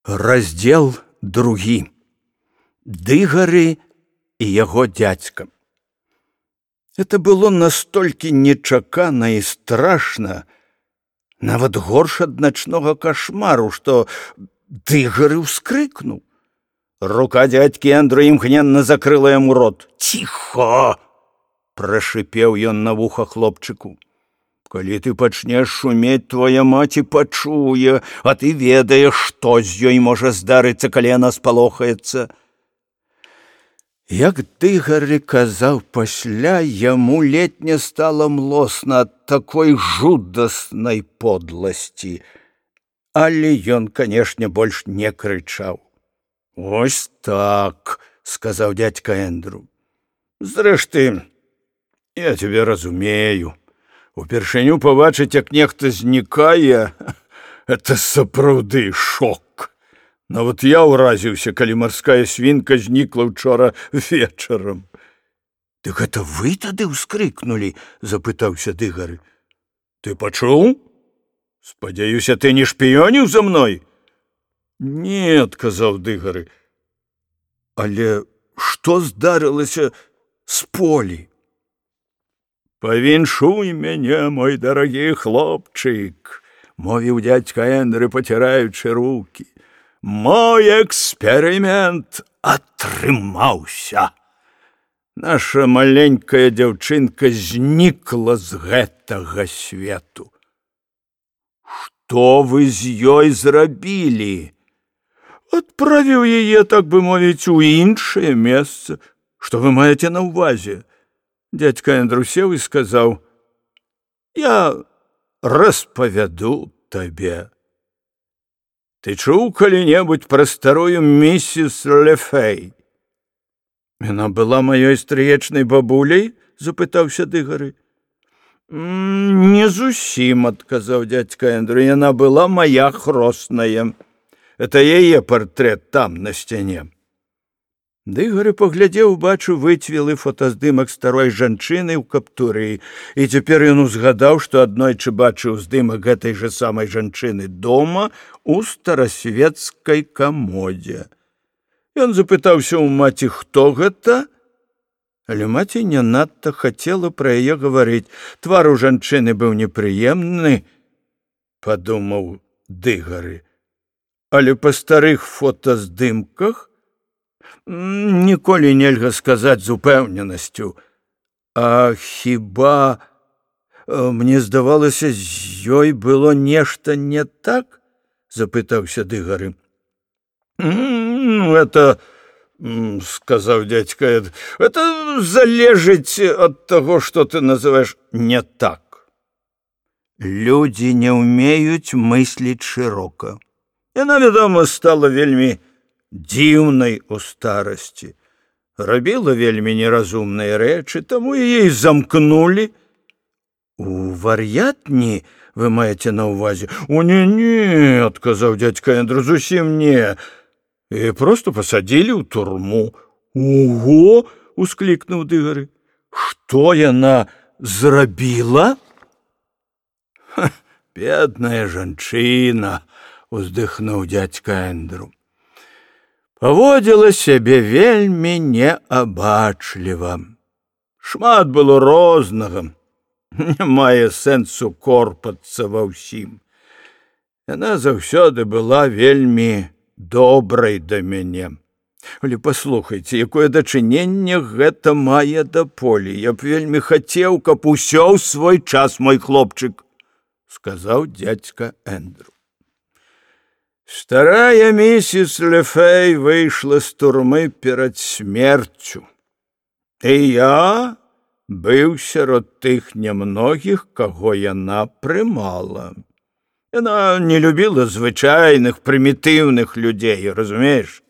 Раздзел 2. Дыгары і яго дзядзька. Это было настолькі нечакана і страшна, нават горш ад начнога кашмару, што Дыгары ўскрыкнуў. Рука дзядзькі Эндру імгненна закрыла яму рот. «Ціхо!» – прашипеў ён на вуха хлопчыку. «Калі ты пачнеш шумець, твоя маці пачуе, а ты ведаеш, што з ёй можа здарыцца, калі яна спалохаецца». Як Дыгары казаў пасля, яму ледзь не стала млосна ад такой жудаснай подласці. Але ён, канешне, больш не крычаў. «Ось так», – сказаў дзядзька Эндру. «Зрэшты, я цябе разумею. Упершыню пабачыць, як нехта знікае, это сапраўды шок. Нават я ўразіўся, калі марская свінка знікла ўчора вечарам». «Дык гэта вы тады ўскрыкнулі?» – запытаўся Дыгары. «Ты пачуў? Спадзяюся, ты не шпіёніў за мной?» «Не», – адказаў Дыгары. «Але што здарылася з Полі?» «Павіншуй мяне, мой дарагі хлопчык», – мовіў дзядзька Эндры, паціраючы рукі. «Мой эксперымент атрымаўся. Наша маленькая дзяўчынка знікла з гэтага свету». «Што вы з ёй зрабілі?» «Адправіў яе, так бы мовіць, у іншае месца. Што вы маеце на ўвазе?» Дядька Эндру сеў і сказаў: «Я распавяду табе. Ты чуў калі-небудзь пра старую місіс Лефэй?» «Яна была маёй стрыечнай бабуляй?» – запытаўся Дыгары. «Не зусім», – адказаў дзядзька Эндру. «Яна была моя хросная. Это яе партрэт там, на сцяне». Дыгары паглядзеў, бачу, выцвелы фотаздымак старой жанчыны ў каптуры, і цяпер ён узгадаў, што аднойчы бачыў здымак гэтай жа самай жанчыны дома у старасвецкай камодзе. Ён запытаўся ў маці, хто гэта, але маці не надта хацела пра яе гаварыць. Твар у жанчыны быў непрыемны, падумаў Дыгары, але па старых фотаздымках ніколі нельга сказаць з упэўненасцю. А хіба, мне здавалася, з ёй было нешта не так? Запытаўся Дыгары. Это, сказаў дзядзька, это залежыць ад таго, што ты называеш не так. Людзі не ўмеюць мысліць шырока. Яна, вядома, стала вельмі дзіўнай у старасці. Рабіла вельмі неразумныя рэчы, таму яе і замкнулі. У вар'ятні вы маеце на ўвазе? О, не, адказаў дзядзька Эндру, зусім не. І проста пасадзілі ў турму. Ого, усклікнуў Дыгары. Што яна зрабіла? Бедная жанчына, уздыхнуў дзядзька Эндру. Паводзіла сябе вельмі неабачліва. Шмат было рознага. Не мае сэнсу корпацца ва ўсім. Яна заўсёды была вельмі добрай да мяне. Але паслухайце, якое дачыненне гэта мае да Полі. Я б вельмі хацеў, каб усё ў свой час, мой хлопчык, сказаў дзядзька Эндру. Старая місіс Лефэй выйшла з турмы перад смерцю. І я быў сярод тых нямногіх, каго яна прымала. Яна не любіла звычайных, прымітыўных людзей, разумееш?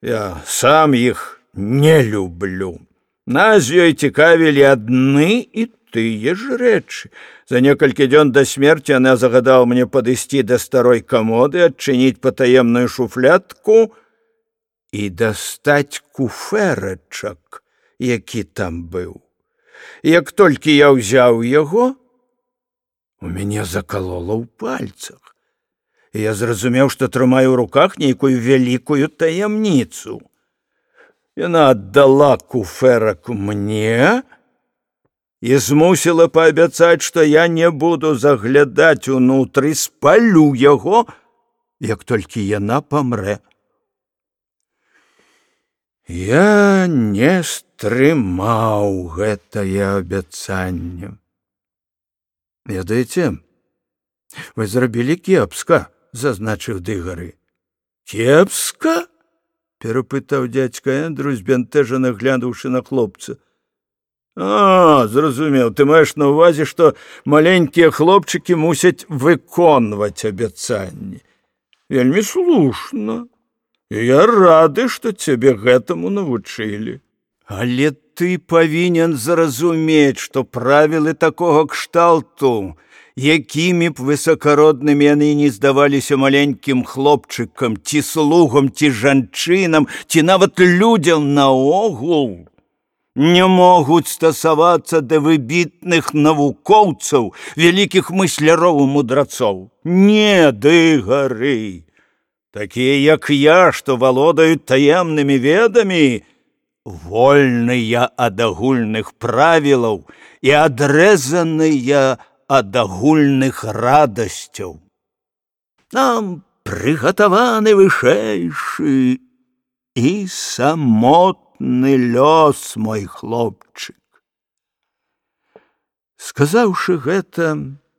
Я сам іх не люблю. Нас ёй цікавілі адны і тыя ж рэчы. За некалькі дзён да смерці яна загадала мне падысці да старой камоды, адчыніць патаемную шуфлядку і дастаць куфэрачак, які там быў. Як толькі я ўзяў яго, у мяне закалола ў пальцах. і я зразумеў, што трымаю ў руках нейкую вялікую таямніцу. Яна аддала куфэрак мне і змусіла паабяцаць, што я не буду заглядаць унутры, спалю яго, як толькі яна памрэ. Я не стрымаў гэтае абяцанне. Ведаеце, вы зрабілі кепска, зазначыў Дыгары. Кепска? Перапытаў дзядзька Эндру, збянтэжана глянуўшы на хлопца. Зразумеў, ты маеш на ўвазе, што маленькія хлопчыкі мусяць выконваць абяцанні. Вельмі слушна. І я рады, што цябе гэтаму навучылі. Але ты павінен зразумець, што правілы такога кшталту, якімі б высакароднымі яны не здаваліся маленькім хлопчыкам, ці слугам, ці жанчынам, ці нават людзям наогул, не могуць стасавацца да выбітных навукоўцаў, вялікіх мысляроў і мудрацоў. Не, Дыгары! Такія, як я, што валодаюць таемнымі ведамі, вольныя ад агульных правілаў і адрэзаныя ад агульных радасцяў. Нам прыгатаваны вышэйшы і самотны лёс, мой хлопчык. Сказаўшы гэта,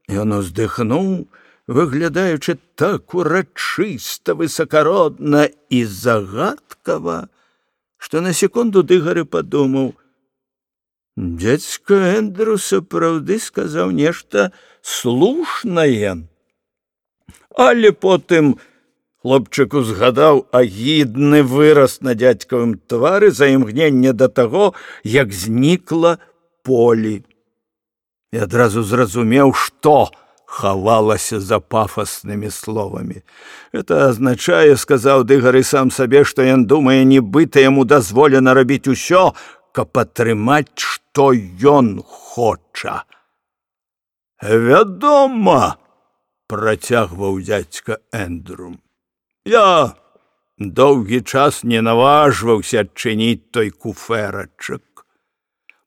ён уздыхнуў, выглядаючы так урачыста, высакародна і загадкава, што на секунду Дыгары падумаў: дзядзька Эндру сапраўды сказаў нешта слушнае. Але потым хлопчык узгадаў агідны выраз на дзядзькавым твары за імгненне да таго, як знікла Полі. І адразу зразумеў, што хавалася за пафаснымі словамі. Это азначае, сказаў Дыгары сам сабе, што ён думае, нібыта яму дазволена рабіць усё, каб атрымаць, што ён хоча. Вядома, працягваў дзядзька Эндру, я доўгі час не наважваўся адчыніць той куфэрачак,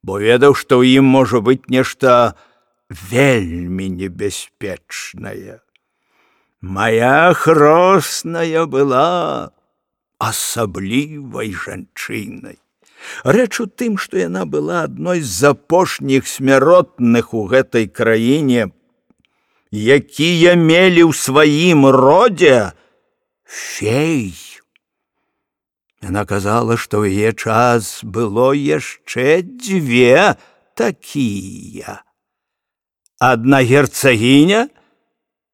бо ведаў, што ў ім можа быць нешта вельмі небяспечная. Моя хросная была асаблівай жанчынай. Рэч у тым, што яна была адной з апошніх смяротных у гэтай краіне, якія мелі ў сваім родзе фей. Яна казала, што ў яе час было яшчэ дзве такія. Адна герцагіня,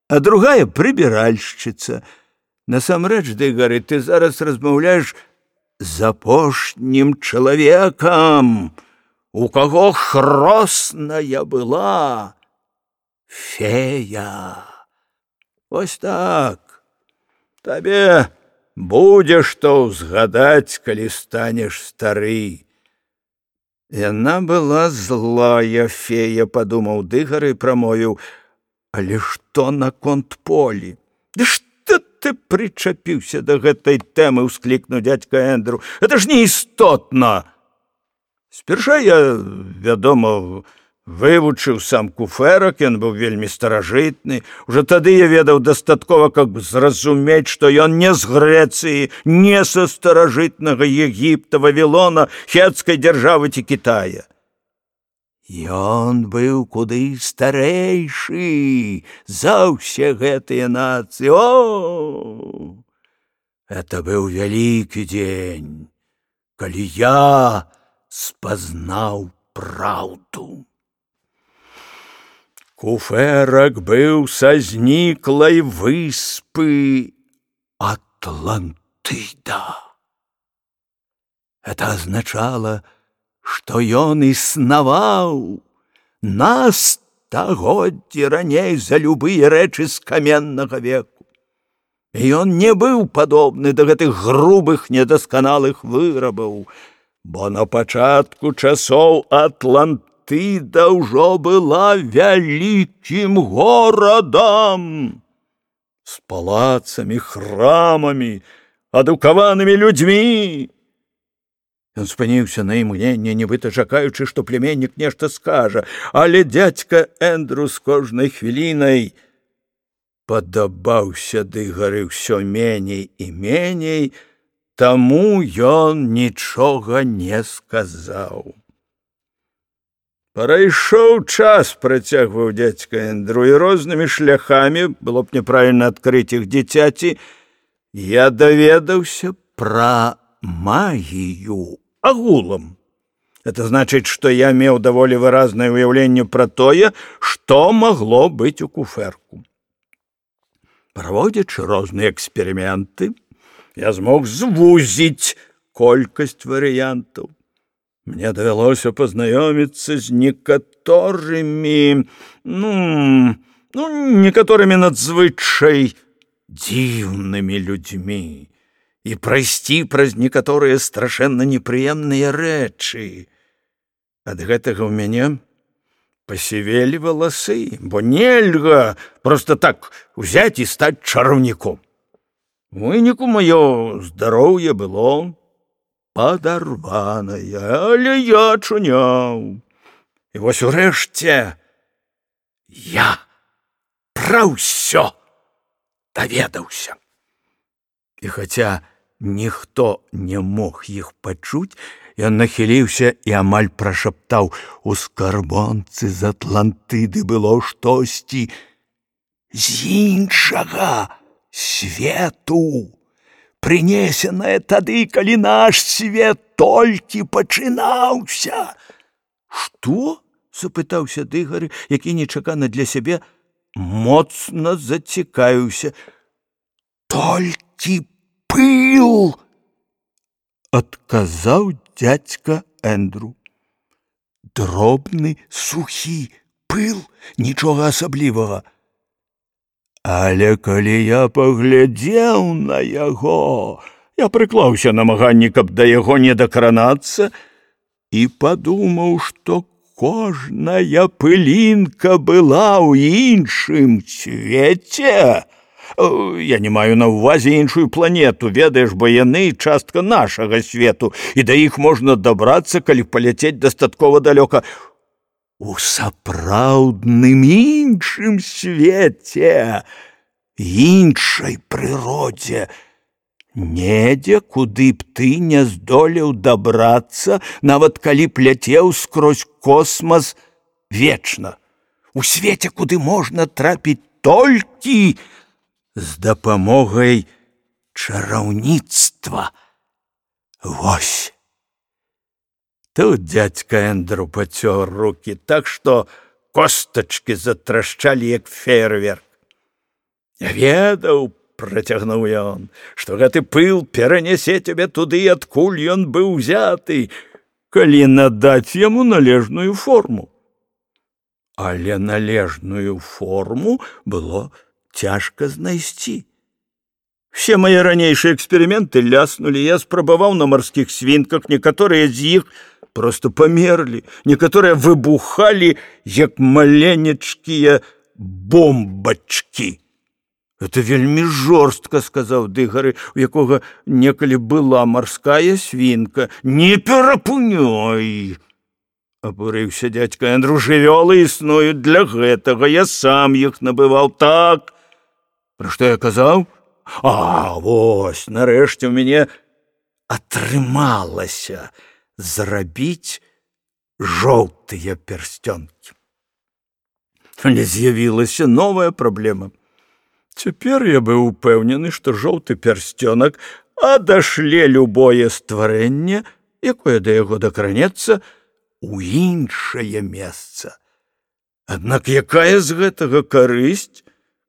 а другая прыбіральшчыца. Насамрэч, Дыгары, ты зараз размаўляеш з апошнім чалавекам, у каго хросная была фея. Вось так. Табе будзе што ўзгадаць, калі станеш стары. Яна была злая фея, падумаў Дыгары і прамовіў: але што наконт Полі? Ды што ты прычапіўся да гэтай тэмы, усклікнуў дзядзька Эндру. Это ж неістотна. Спярша я, вядома, вывучыў сам куфэрак, ён быў вельмі старажытны. Уже тады я ведаў дастаткова, каб зразумець, што ён не з Грэцыі, не са старажытнага Егіпта, Вавілона, хетскай дзяржавы ці Кітая. Ён быў куды старэйшы за ўсе гэтыя нацыі. О! Это быў вялікі дзень, калі я спазнаў праўду. Куфэрак быў са зніклай выспы Атлантыда. Это азначала, што ён існаваў на стагоддзі раней за любыя рэчы з каменнага веку. І ён не быў падобны да гэтых грубых, недасканалых вырабаў, бо на пачатку часоў Атлантыда ўжо была вялікім горадам. з палацамі, храмамі, адукаванымі людзьмі. Ён спыніўся на імгненне, нібыта чакаючы, што племяннік нешта скажа, але дзядзька Эндру з кожнай хвілінай падабаўся Дыгары ўсё меней і меней, таму ён нічога не сказаў. Прайшоў час, працягваў дзядзька Эндру, і рознымі шляхамі, было б няправільна адкрыць іх дзіцяці, я даведаўся пра магію агулам. Это значыць, што я меў даволі выразнае ўяўленне пра тое, што магло быць у куфэрку. Праводзячы розныя эксперыменты, я змог звузіць колькасць варыянтаў. Мне давялося пазнаёміцца з некаторымі надзвычай дзіўнымі людзьмі і прайсці праз некаторыя страшэнна непрыемныя рэчы. Ад гэтага ў мяне пасівелі валасы, бо нельга проста так узяць і стаць чараўніком. У выніку маё здароўе было падарванае, але я чуняў. І вось урэшце я пра ўсё даведаўся. І хаця ніхто не мог іх пачуць, ён нахіліўся і амаль прашаптаў: у скарбонцы з Атлантыды было штосьці з іншага свету, прынесенае тады, калі наш свет толькі пачынаўся. Што? Запытаўся Дыгары, які нечакана для сябе моцна зацікавіўся. Толькі пыл, адказаў дзядзька Эндру. Дробны, сухі пыл, нічога асаблівага. Але калі я паглядзеў на яго, я прыклаўся намаганні, каб да яго не дакранацца, і падумаў, што кожная пылінка была ў іншым свеце. Я не маю на ўвазе іншую планету, ведаеш, бо яны частка нашага свету, і да іх можна дабрацца, калі паляцець дастаткова далёка. У сапраўдным іншым свеце, іншай прыродзе, недзе, куды б ты не здолеў дабрацца, нават калі б ляцеў скрозь космас вечна. У свеце, куды можна трапіць толькі з дапамогай чараўніцтва. Вось. Тут дзядзька Эндру пацёр рукі так, што костачкі затрашчалі, як феерверк. Я ведаў, працягнуў ён, што гэты пыл перанясе цябе туды, адкуль ён быў узяты, калі надаць яму належную форму. Але належную форму было цяжка знайсці. Все мае ранейшыя эксперыменты ляснулі, я спрабаваў на марскіх свінках, некаторыя з іх просто памерлі, некаторыя выбухалі, як маленечкія бомбачкі. Это вельмі жорстка, сказаў Дыгары, у якога некалі была марская свінка. Не перапыняй! Абурыўся дзядзька Эндру, жывёлы існуюць для гэтага, я сам іх набываў. Так, пра што я казаў? Вось, нарэшце ў мяне атрымалася зрабіць жоўтыя пярсцёнкі. Але з'явілася новая праблема. Цяпер я быў упэўнены, што жоўты пярсцёнак адашле любое стварэнне, якое да яго дакранецца, у іншае месца. Аднак якая з гэтага карысць,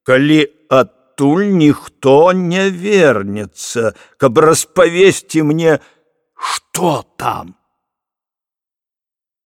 калі адтуль ніхто не вернецца, каб распавесці мне, што там?